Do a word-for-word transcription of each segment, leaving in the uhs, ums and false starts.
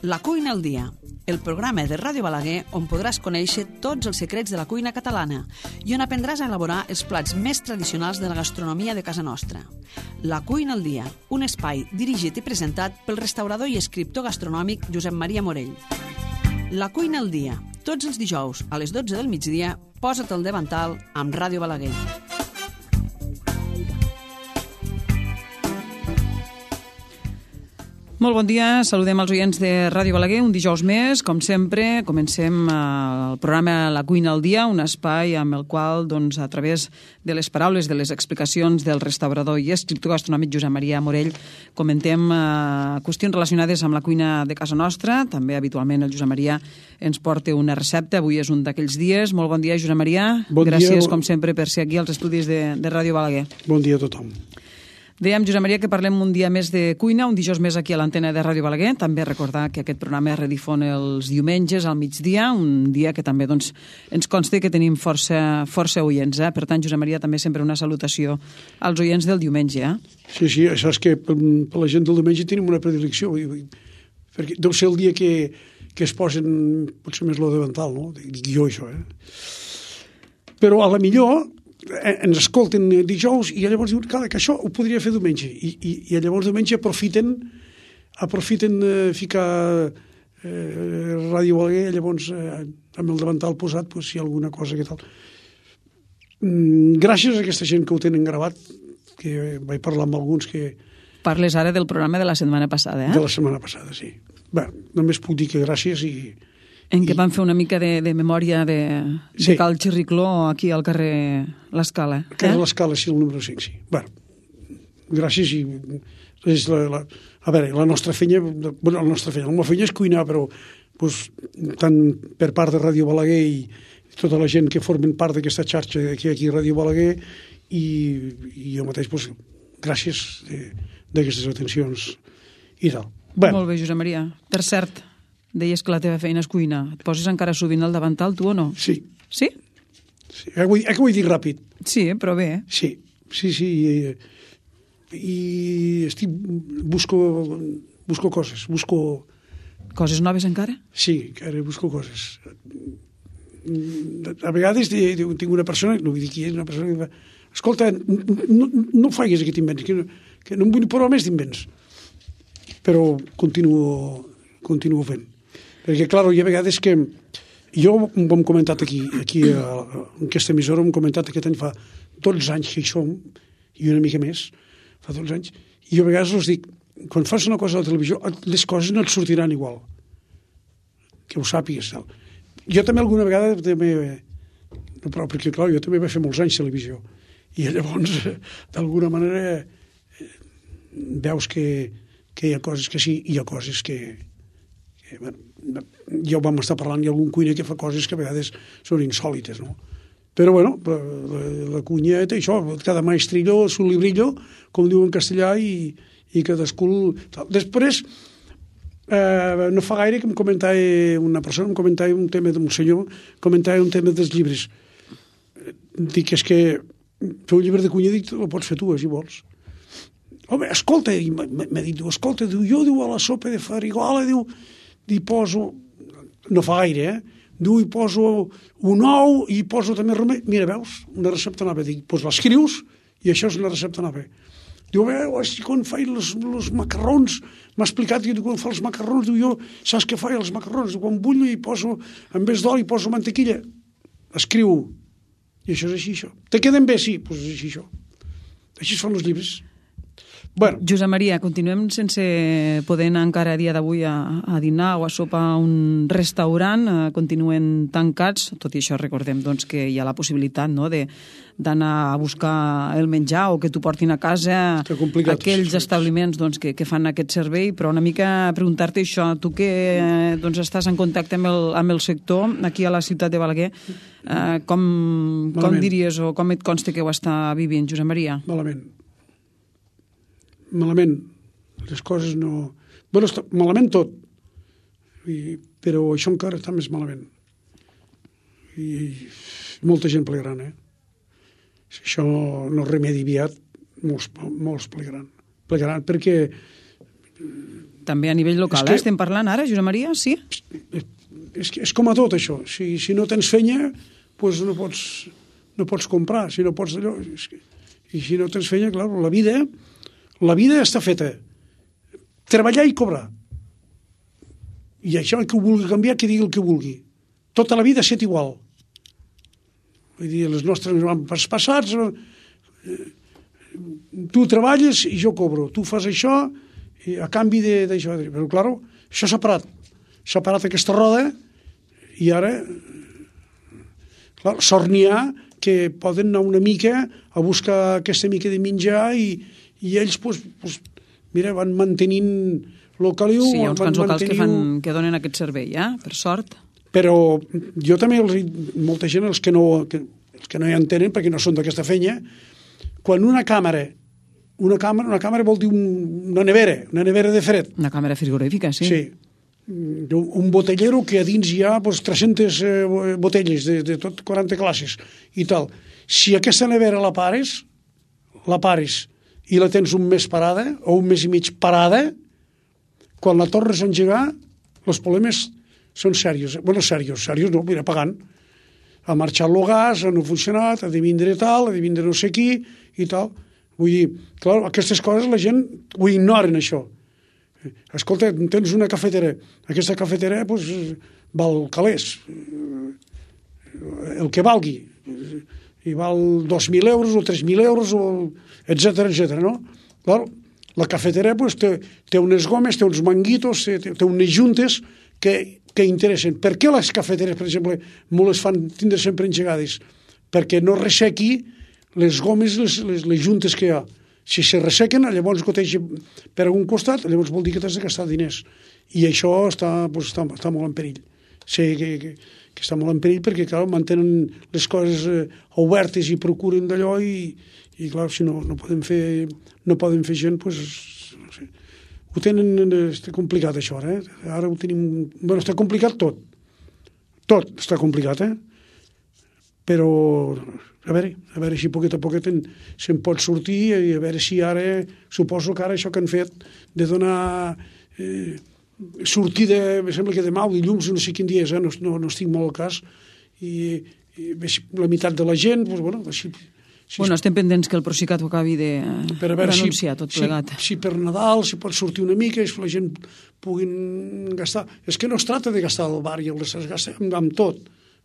La cuina al dia, el programa de Ràdio Balaguer on podràs conèixer tots els secrets de la cuina catalana i on aprendràs a elaborar els plats més tradicionals de la gastronomia de casa nostra. La cuina al dia, un espai dirigit i presentat pel restaurador i escriptor gastronòmic Josep Maria Morell. La cuina al dia, tots els dijous a les dotze del migdia, posa't al davantal amb Ràdio Balaguer. Molt bon dia, saludem els oients de Ràdio Balaguer, un dijous més, com sempre, comencem el programa La cuina al dia, un espai amb el qual, doncs, a través de les paraules, de les explicacions del restaurador i escriptor gastronòmic Josep Maria Morell, comentem eh, qüestions relacionades amb la cuina de casa nostra. També, habitualment, el Josep Maria ens porta una recepta. Avui és un d'aquells dies. Molt bon dia, Josep Maria. Bon Gràcies, dia, bon... com sempre, per ser aquí als estudis de, de Ràdio Balaguer. Bon dia a tothom. Dèiem, Josep Maria, que parlem un dia més de cuina, un dijous més aquí a l'antena de Ràdio Balaguer. També recordar que aquest programa es redifon els diumenges al migdia, un dia que també doncs, ens consta que tenim força, força oients. Eh? Per tant, Josep Maria, també sempre una salutació als oients del diumenge. Eh? Sí, sí, això és que per, per la gent del diumenge tenim una predilecció, perquè deu ser el dia que, que es posen, potser més lo davantal, no? Dic jo, això, eh? Però a la millor ens escolten dijous i llavors diuen que això ho podria fer diumenge i, i, i llavors diumenge aprofiten aprofiten eh, ficar eh, Ràdio Balaguer, llavors eh, amb el davantal posat, pues, si hi ha alguna cosa que tal. Mm, gràcies a aquesta gent que ho tenen gravat, que vaig parlar amb alguns que... Parles ara del programa de la setmana passada, eh? De la setmana passada, sí. Bé, només puc dir que gràcies i... En què van fer una mica de, de memòria de, de sí. Cal Xirricló aquí al carrer L'Escala. Al carrer eh? L'Escala, sí, el número cinc, sí. Bé, gràcies i... És la, la, a veure, la nostra feina... Bueno, la nostra feina, la meva feina és cuinar, però pues, tant per part de Ràdio Balaguer i tota la gent que formen part d'aquesta xarxa aquí, aquí a Ràdio Balaguer i, i jo mateix, pues, gràcies d'aquestes atencions i tal. Bé. Molt bé, Josep Maria. Per cert, deies que la teva feina és cuina. Et poses encara sovint al davantal, tu o no? Sí. Sí? Sí. Eh, que ho he dit ràpid. Sí, però bé. Eh? Sí, sí, sí. I, i estic... Busco, busco coses, busco... Coses noves encara? Sí, encara busco coses. A vegades tinc una persona, no vull dir qui és, una persona que va... Escolta, no, no faigues aquest invents, que no, que no em vull provar més d'invents. Però continuo, continuo fent. Perquè, clar, hi ha vegades que... Jo ho hem comentat aquí, aquí a, en aquesta emissora, ho hem comentat aquest any fa dotze anys que hi som, i una mica més, fa dotze anys, i jo a vegades els dic, quan fas una cosa a la televisió, les coses no et sortiran igual. Que ho sàpigues. Tal. Jo també alguna vegada, també, no, però perquè, clar, jo també vaig fer molts anys de televisió, i llavors, d'alguna manera, veus que, que hi ha coses que sí, i hi ha coses que... que bueno, ja ho vam estar parlant, hi ha algun cuiner que fa coses que a vegades són insòlites, no? Però, bueno, la, la, la cuina té això, cada maestrillo, su librillo, com diu en castellà, i, i cadascú... Després, eh, no fa gaire que em comentava una persona, em comentava un tema d'un senyor, comentava un tema dels llibres. Dic, és que fer un llibre de cuina, dic, el pots fer tu, si vols. Home, escolta, i m'ha dit, escolta, diu, jo, diu, a la sopa de farigola, diu, hi poso, no fa gaire, eh? Diu, hi poso un ou i hi poso també remei. Mira, veus, una recepta nova. Dic, doncs l'escrius i això és una recepta nova. Diu, veus, quan faig els macarrons, m'ha explicat que quan fa els macarrons, diu, jo, saps què faig els macarrons? Diu, quan bullo i poso, en vez d'oli, poso mantequilla. Escriu. I això és així, això. Te queden bé? Sí, doncs és així, això. Així es fan els llibres. Bueno. Josep Maria, continuem sense poder anar encara a dia d'avui a, a dinar o a sopar a un restaurant, eh, continuen tancats, tot i això recordem doncs, que hi ha la possibilitat, no?, de d'anar a buscar el menjar o que t'ho portin a casa aquells establiments doncs, que, que fan aquest servei, però una mica preguntar-te això, tu que eh, doncs, estàs en contacte amb el, amb el sector aquí a la ciutat de Balaguer, eh, com, com diries o com et consta que ho està vivint, Josep Maria? Malament. Malament, les coses no... Bueno, està malament tot, I, però això encara està més malament. I molta gent plegaran, eh? Si això no es remedi aviat, molts, molts plegaran. Plegaran perquè També a nivell local, que, eh? Estem parlant ara, Josep Maria, sí? És, és com a tot, això. Si, si no tens feina, doncs no pots, no pots comprar. Si no pots d'allò... I si no tens feina, clar, la vida, la vida està feta. Treballar i cobrar. I això, el que ho vulgui canviar, que digui el que vulgui. Tota la vida ha estat igual. Vull dir, les nostres avantpassats passats, eh, tu treballes i jo cobro. Tu fas això i a canvi d'això. Però, clar, això s'ha parat. S'ha parat aquesta roda i ara, clar, sort n'hi ha que poden anar una mica a buscar aquesta mica de menjar i, i ells, doncs, pues, mira, van mantenint el caliu. Sí, hi ha uns quants locals que, fan, mantenint... que donen aquest servei, eh? Per sort. Però jo també, els, molta gent, els que, no, que, els que no hi entenen, perquè no són d'aquesta feina, quan una càmera, una càmera, una càmera vol dir un, una nevera, una nevera de fred. Una càmera frigorífica, sí. Sí. Un botellero que a dins hi ha pues, tres-centes eh, botelles de, de tot quaranta classes i tal. Si aquesta nevera la pares, la pares i la tens un mes parada o un mes i mig parada, quan la tornes a engegar, els problemes són serios. Bueno, serios, serios no, mira, pagant. Ha marxat el gas, no ha funcionat, ha de vindre tal, ha de vindre no sé qui i tal. Vull dir, clar, aquestes coses la gent ho ignoren, això. Escolta, tens una cafetera. Aquesta cafetera, doncs, val calés. El que valgui. I val dos mil euros o tres mil euros, o etcètera, etcètera, no? Clar, la cafetera, doncs, té, té unes gomes, té uns manguitos, té, té unes juntes que que interessen. Per què les cafeteres, per exemple, me les fan tindre sempre engegades? Perquè no ressequi les gomes, les, les, les juntes que hi ha. Si se ressequen, llavors goteja per algun costat, llavors vol dir que t'has de gastar diners. I això està, doncs, està, està molt en perill. Sé que, que, que està molt en perill perquè, clar, mantenen les coses eh, obertes i procuren d'allò i, i, clar, si no, no poden fer, no poden fer gent, doncs, no sé. Ho tenen, està complicat això ara, eh? Ara ho tenim... Bueno, està complicat tot. Tot està complicat, eh? Però, a veure, a veure si poquet a poquet se'n pot sortir i a veure si ara, suposo que ara això que han fet de donar eh, sortida, em sembla que demà o dilluns, no sé quin dia és, eh? no, no, no estic molt al cas, i, i la meitat de la gent, doncs, bueno, així... Si bueno, estem pendents que el Procicat ho acabi d'anunciar, tot plegat. Si, si per Nadal si pot sortir una mica, si la gent puguin gastar... És que no es tracta de gastar al bar i el es gasta amb, amb tot,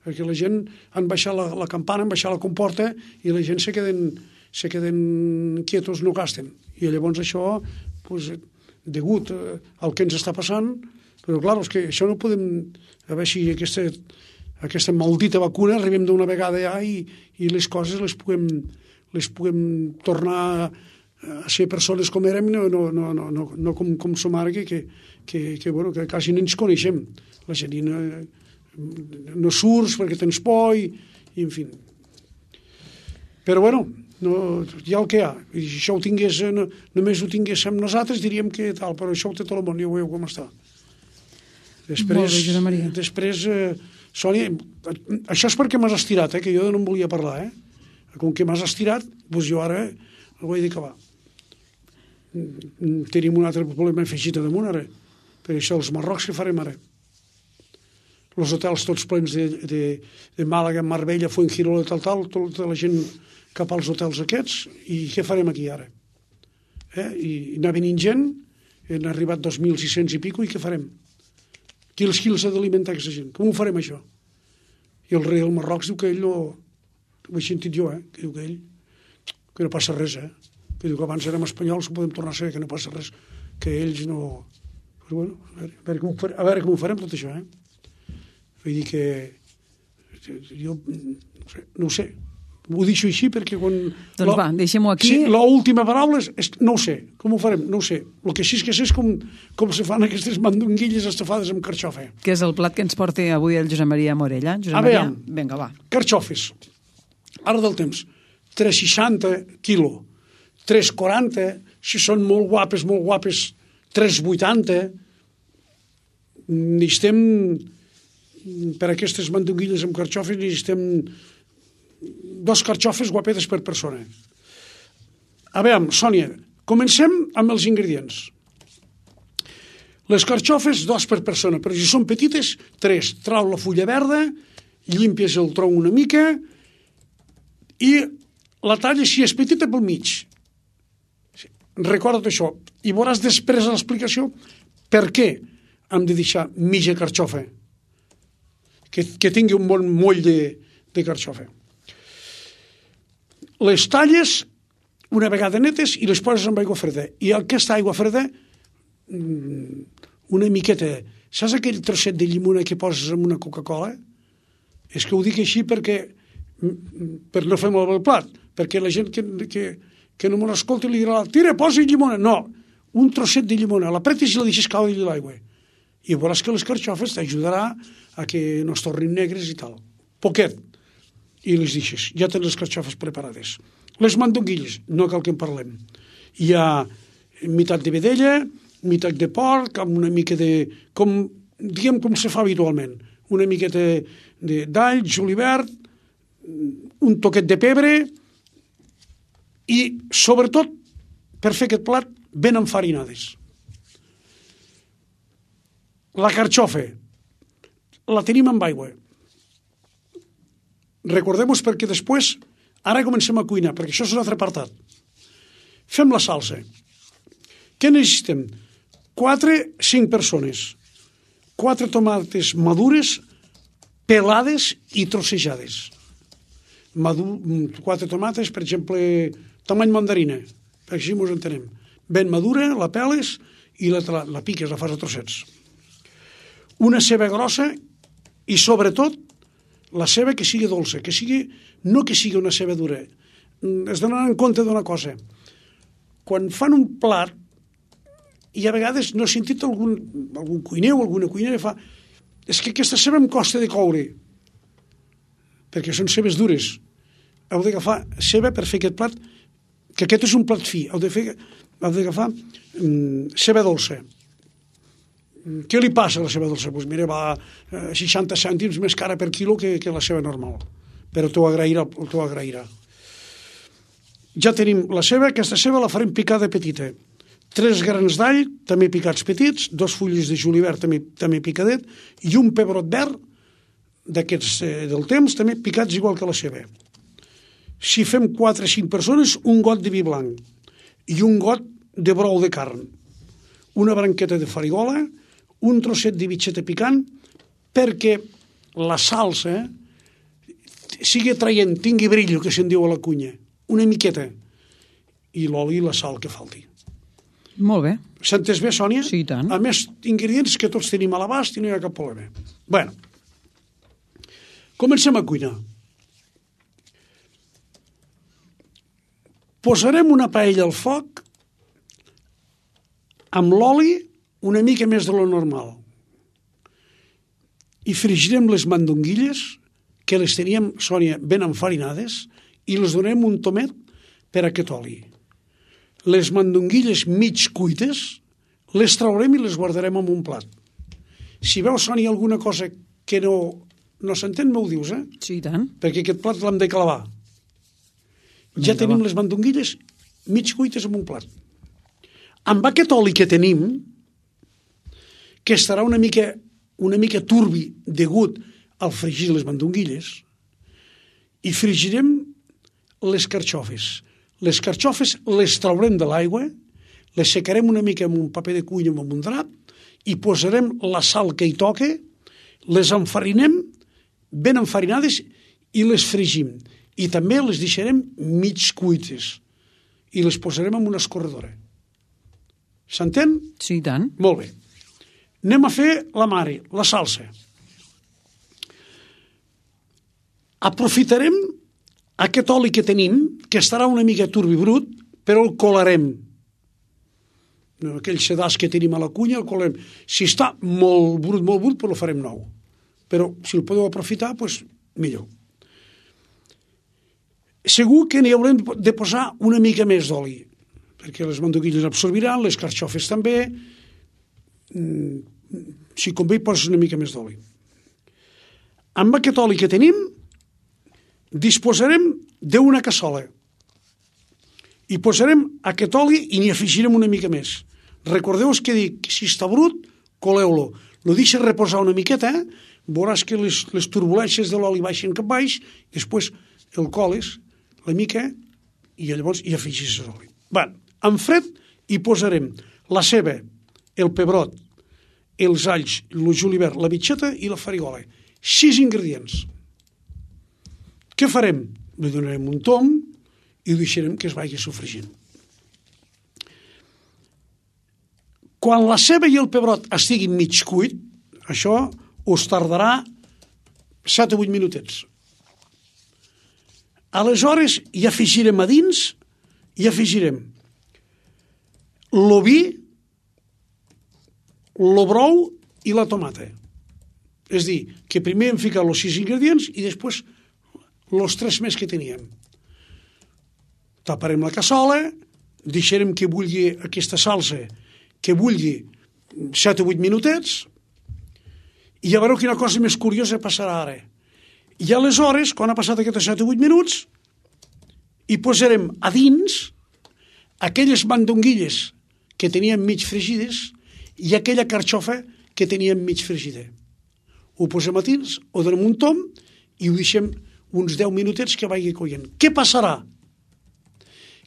perquè la gent han baixat la, la campana, han baixat la comporta i la gent se queden, se queden quietos, no gasten. I llavors això, pues, degut al que ens està passant, però clar, és que això no podem... A veure si aquesta... aquesta maldita vacuna, arribem d'una vegada ja i, i les coses les puguem, les puguem tornar a ser persones com érem, no, no, no, no, no com, com som ara, que, que, que, que, bueno, que quasi no ens coneixem. La gent no, no surts perquè tens por i, i en fi. Però bueno, no, hi ha el que hi ha. I si això ho tingués, no, només ho tinguéssim nosaltres, diríem que tal, però això ho té tot el món, ja ho veieu com està. Després, Molt bé, Josep Maria. Després eh, Sònia, això és perquè m'has estirat, eh, que jo no en volia parlar, eh? Com que m'has estirat, doncs jo ara ho he d'acabar. Tenim un altre problema afegit damunt ara, per això els marrocs que farem ara. Els hotels tots plens de, de, de Màlaga, Marbella, Fuengirola, tal, tal, tota la gent cap als hotels aquests, i què farem aquí ara? Eh? I anar venint gent, han arribat dos mil sis-cents i pico, i què farem? Qui els, qui els ha d'alimentar aquesta gent? Com ho farem, això? I el rei del Marroc diu que ell no... Ho he sentit jo, eh? Que diu que ell... Que no passa res, eh? Que diu que abans érem espanyols, podem tornar a ser, que no passa res. Que ells no... Però bueno, a veure, a veure, com, ho farem, a veure com ho farem, tot això, eh? Vull dir que... Jo no sé, no ho sé. Ho deixo així perquè quan... Doncs va, deixem-ho aquí. Sí, l'última paraula és, és no ho sé. Com ho farem? No ho sé. El que sí que sé és com, com se fan aquestes mandonguilles estafades amb carxofa. Que és el plat que ens porta avui el Josep Maria Morella. Josep A Maria, veure, vinga, va. Carxofes. Ara del temps. tres seixanta quilo. tres quaranta. Si són molt guapes, molt guapes, tres vuitanta. Necessitem, per aquestes mandonguilles amb carxofes, necessitem dos carxofes guapetes per persona. A veure, Sònia, comencem amb els ingredients. Les carxofes, dos per persona, però si són petites, tres. Trau la fulla verda, llimpies el tronc una mica i la talles, si és petita, pel mig. Recorda't això. I veuràs després l'explicació per què hem de deixar mitja carxofa. Que, que tingui un bon moll de, de carxofa. Les talles una vegada netes i les poses amb aigua freda. I aquesta aigua freda, una miqueta... Saps aquell trosset de llimona que poses en una Coca-Cola? És que ho dic així perquè per no fer malbé el plat, perquè la gent que, que, que no me l'escolti li dirà tira, posa llimona. No, un trosset de llimona, l'apretes i la deixes caure a l'aigua. I veuràs que les carxofes t'ajudarà a que no es tornin negres i tal. Poquet. I les deixes. Ja tens les carxofes preparades. Les mandonguilles, no cal que en parlem. Hi ha meitat de vedella, meitat de porc, amb una mica de... Com, diguem com se fa habitualment. Una miqueta d'all, julivert, un toquet de pebre i, sobretot, per fer aquest plat, ben enfarinades. La carxofa la tenim amb aigua. Recordem-nos perquè després, ara comencem a cuinar, perquè això és un altre apartat. Fem la salsa. Què necessitem? Quatre, cinc persones. Quatre tomates madures, pelades i trossejades. Madur, quatre tomates, per exemple, tamany mandarina, perquè així ens entenem. Ben madura, la peles i la, la, la piques, la fas a trossets. Una ceba grossa i, sobretot, la ceba que sigui dolça, que sigui, no que sigui una ceba dura. Es donen en compte d'una cosa. Quan fan un plat, i a vegades no he sentit algun, algun cuiner o alguna cuinera fa és que aquesta ceba em costa de coure, perquè són cebes dures. Heu d'agafar ceba per fer aquest plat, que aquest és un plat fi. Heu de fer, heu d'agafar um, ceba dolça. Què li passa a la ceba dolça? Pues mira, va a seixanta cèntims més cara per quilo que, que la ceba normal. Però t'ho agrairà, t'ho agrairà. Ja tenim la ceba, aquesta ceba la farem picada petita. Tres grans d'all, també picats petits, dos fulles de julivert, també, també picadet, i un pebrot verd, d'aquests eh, del temps, també picats igual que la ceba. Si fem quatre o cinc persones, un got de vi blanc i un got de brou de carn. Una branqueta de farigola, un trosset de bitxeta picant, perquè la salsa sigui atraient, tingui brillo, que se'n diu a la cunya, una miqueta, i l'oli i la sal que falti. Molt bé. S'ha entès bé, Sònia? Sí, i tant. A més, ingredients que tots tenim a l'abast i no hi ha cap problema. Bueno, comencem a cuinar. Posarem una paella al foc amb l'oli una mica més de lo normal. I fregirem les mandonguilles, que les teníem, Sònia, ben enfarinades, i les donem un tomet per a aquest oli. Les mandonguilles mig cuites, les traurem i les guardarem en un plat. Si veus, Sònia, alguna cosa que no, no s'entén, m'ho dius, eh? Sí, i tant. Perquè aquest plat l'hem de clavar. Ja tenim les mandonguilles mig cuites en un plat. Amb aquest oli que tenim, que estarà una mica, una mica turbi degut al fregir les mandonguilles, i fregirem les carxofes. Les carxofes les traurem de l'aigua, les secarem una mica amb un paper de cuina o amb un drap i posarem la sal que hi toca, les enfarinem ben enfarinades i les fregim. I també les deixarem mig cuites i les posarem en una escorredora. S'entén? Sí, i tant. Molt bé. Anem a fer la mare, la salsa. Aprofitarem aquest oli que tenim, que estarà una mica turbi brut, però el colarem. Aquell sedàs que tenim a la cunya, el colarem. Si està molt brut, molt brut, però el farem nou. Però si el podeu aprofitar, doncs millor. Segur que n'hi haurem de posar una mica més d'oli, perquè les mandonguilles absorbiran, les carxofes també. Si convé, poses una mica més d'oli. Amb aquest oli que tenim, disposarem d'una cassola i posarem aquest oli i n'hi afegirem una mica més. Recordeu que dic que si està brut, coleu-lo, lo deixes reposar una miqueta, veuràs que les, les turbulències de l'oli baixen cap baix, després el coles la mica i llavors hi afegis l'oli. Va, en fred hi posarem la ceba, el pebrot, els alls, el julivert, la bitxeta i la farigola. Sis ingredients. Què farem? Li donarem un tom i ho deixarem que es vagi sofregint. Quan la ceba i el pebrot estiguin mig cuit, això us tardarà set o vuit minutets. Aleshores hi afegirem a dins, hi afegirem l'oví, el brou i la tomata. És a dir, que primer hem ficat els sis ingredients i després els tres més que teníem. Taparem la cassola, deixarem que bulli aquesta salsa, que bulli set o vuit minutets, i ja veureu quina cosa més curiosa passarà ara. I aleshores, quan ha passat aquests set o vuit minuts, hi posarem a dins aquelles mandonguilles que teníem mig fregides i aquella carxofa que teníem mig fregida. Ho posem a dins, ho donem un tom i ho deixem uns deu minutets que vagi coient. Què passarà?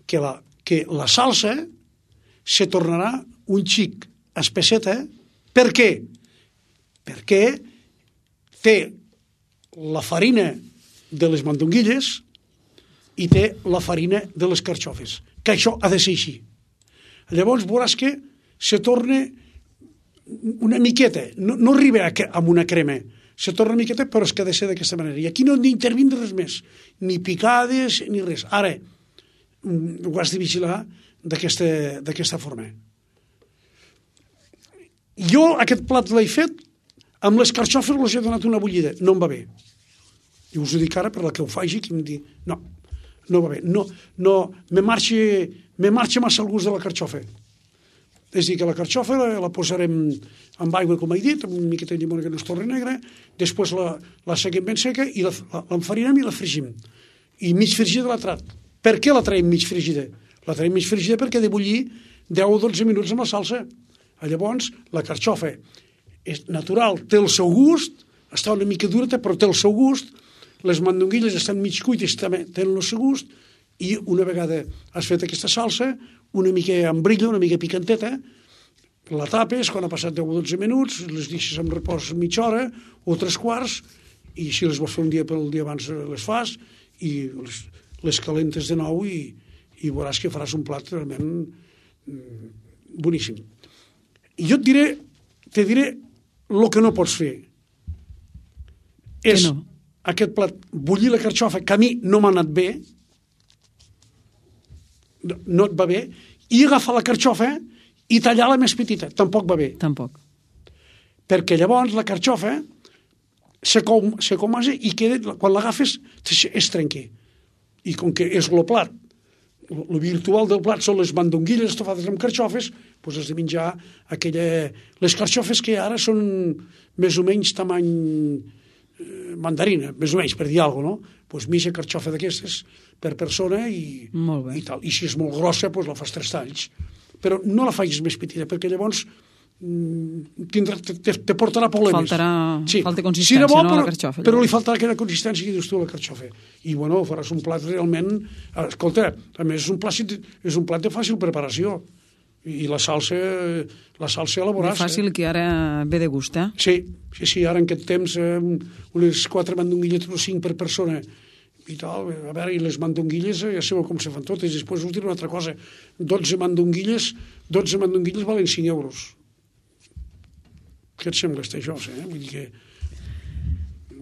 Que la, que la salsa se tornarà un xic espesseta. Per què? Perquè té la farina de les mandonguilles i té la farina de les carxofes, que això ha de ser així. Llavors veuràs que se torna una miqueta, no, no arriba a, a una crema, se torna una miqueta, però és que ha de ser d'aquesta manera. I aquí no hem d'intervindre res més, ni picades ni res. Ara, ho has de vigilar d'aquesta forma. Jo aquest plat l'he fet, amb les carxofes els he donat una bullida, no em va bé. I us ho dic ara per la que ho faci, que em diu, no, no va bé, no, no, me marxa, me marxa massa el gust de la carxofa. És a dir, que la carxofa la, la posarem amb aigua, com he dit, amb una miqueta de llimona que no es torni negra, després la, la seguim ben seca i l'enfarinem i la fregim. I mig fregida la trat. Per què la traiem mig fregida? La traiem mig fregida perquè ha de bullir deu o dotze minuts amb la salsa. Llavors, la carxofa és natural, té el seu gust, està una mica dura, però té el seu gust, les mandonguilles estan mig cuites, també tenen el seu gust, i una vegada has fet aquesta salsa, una mica amb brilla, una mica picanteta, la tapes, quan ha passat deu o dotze minuts, les deixes en repòs mitja hora o tres quarts, i si les vols fer un dia pel dia abans les fas, i les, les calentes de nou i, i veuràs que faràs un plat realment boníssim. I jo et diré, te diré el que no pots fer. És no? Aquest plat, bullir la carxofa, que a mi no m'ha anat bé, no, no et va bé, i agafar la carxofa i tallar-la més petita, tampoc va bé. Tampoc. Perquè llavors la carxofa se, com, se comasa i queda, quan l'agafes es trenca. I com que és el plat, el virtual del plat són les mandonguilles estofades amb carxofes, doncs has de menjar aquella... Les carxofes que ara són més o menys tamany mandarina, més o menys, per dir alguna cosa, no? Doncs mitja carxofa d'aquestes per persona i, i tal. I si és molt grossa, doncs la fas tres talls. Però no la facis més petita, perquè llavors tindrà, te, te portarà problemes. Faltarà, sí. Falta consistència, bo, no, però, la carxofa. Però li faltarà aquella consistència que dius tu, la carxofa. I, bueno, faràs un plat realment... Escolta, a més, és un plat, és un plat de fàcil preparació. I la salsa, la salsa elaborada. És fàcil, eh? Que ara ve de gust, eh? Sí, sí, sí, ara en aquest temps eh, unes quatre mandonguilles o cinc per persona i tal, a veure, i les mandonguilles ja sabeu com se fan totes. Després us diré una altra cosa, dotze mandonguilles dotze mandonguilles valen cinc euros. Què et sembla això, eh? Vull dir que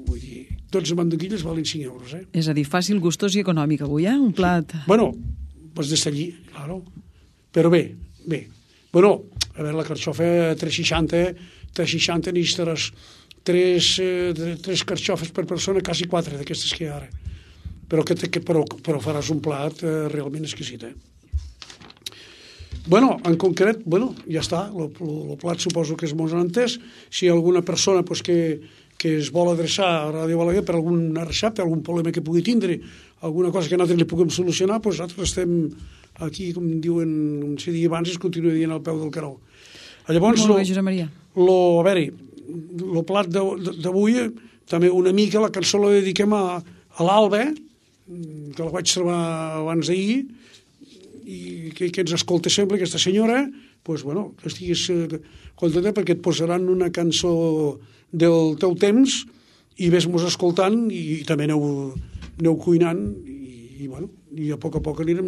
vull dir, dotze mandonguilles valen cinc euros, eh? És a dir, fàcil, gustós i econòmic avui, eh? Un plat... Bueno, pues d'estar allí, claro. Però bé, bé. Bueno, a veure, la carxofa tres seixanta, tres seixanta necessitaràs tres, eh, tres carxofes per persona, quasi quatre d'aquestes que hi ha ara. Però, que, que, però, però faràs un plat eh, realment exquisit, eh? Bueno, en concret, bueno, ja està, el plat suposo que és molt entès. Si hi ha alguna persona pues, que, que es vol adreçar a Ràdio Balaguer per alguna recepta, algun problema que pugui tindre, alguna cosa que nosaltres li puguem solucionar, doncs nosaltres estem aquí, com diuen, com se deia abans, es continua dient al peu del caró. Llavors, molt bé, Josep Maria. lo, a veure, el plat d'avui, també una mica la cançó la dediquem a, a l'Alba, que la vaig trobar abans d'ahir, i que, que ens escolta sempre, aquesta senyora, pues, bueno, que estiguis contenta perquè et posaran una cançó del teu temps i ves-mos escoltant i, i també aneu, aneu cuinant i, i, bueno, i a poc a poc anirem,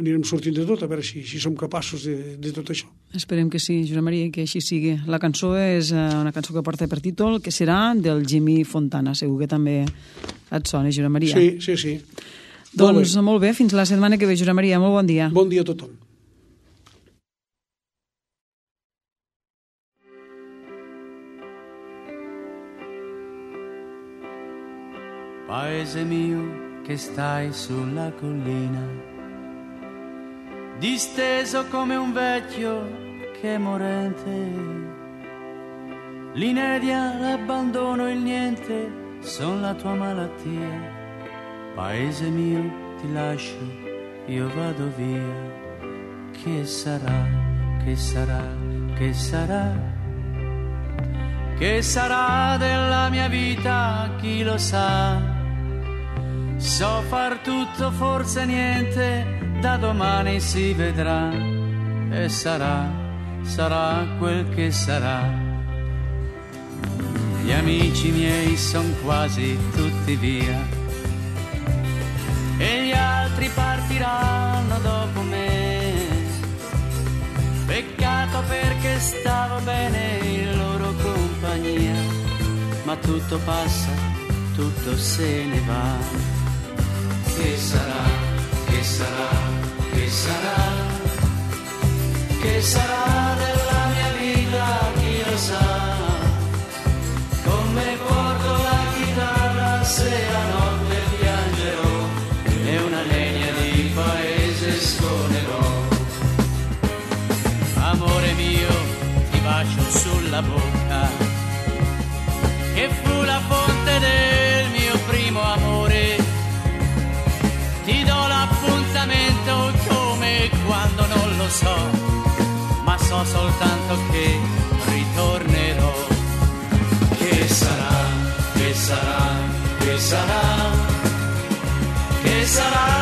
anirem sortint de tot, a veure si, si som capaços de, de tot això. Esperem que sí, Josep Maria, que així sigui. La cançó és una cançó que porta per títol, que serà del Jimmy Fontana. Segur que també et sona, Josep Maria. Sí, sí, sí. Doncs molt bé. molt bé, fins la setmana que ve, Josep Maria. Molt bon dia. Bon dia a tothom. Paese mio che stai sulla collina, disteso come un vecchio che è morente, l'inedia, l'abbandono, il niente son la tua malattia. Paese mio, ti lascio, io vado via. Che sarà, che sarà, che sarà? Che sarà della mia vita, chi lo sa? So far tutto, forse niente, da domani si vedrà. E sarà, sarà quel che sarà. Gli amici miei son quasi tutti via e gli altri partiranno dopo me. Peccato perché stavo bene in loro compagnia, ma tutto passa, tutto se ne va. Che sarà, che sarà, che sarà, che sarà della mia vita, chi lo sa? Come porto la chitarra se la notte piangerò e una legna di paese suonerò. Amore mio, ti bacio sulla bocca, che fu la fonte del mio primo amore. Ti do l'appuntamento come quando non lo so, ma so soltanto che ritornerò. Che sarà, che sarà, che sarà, che sarà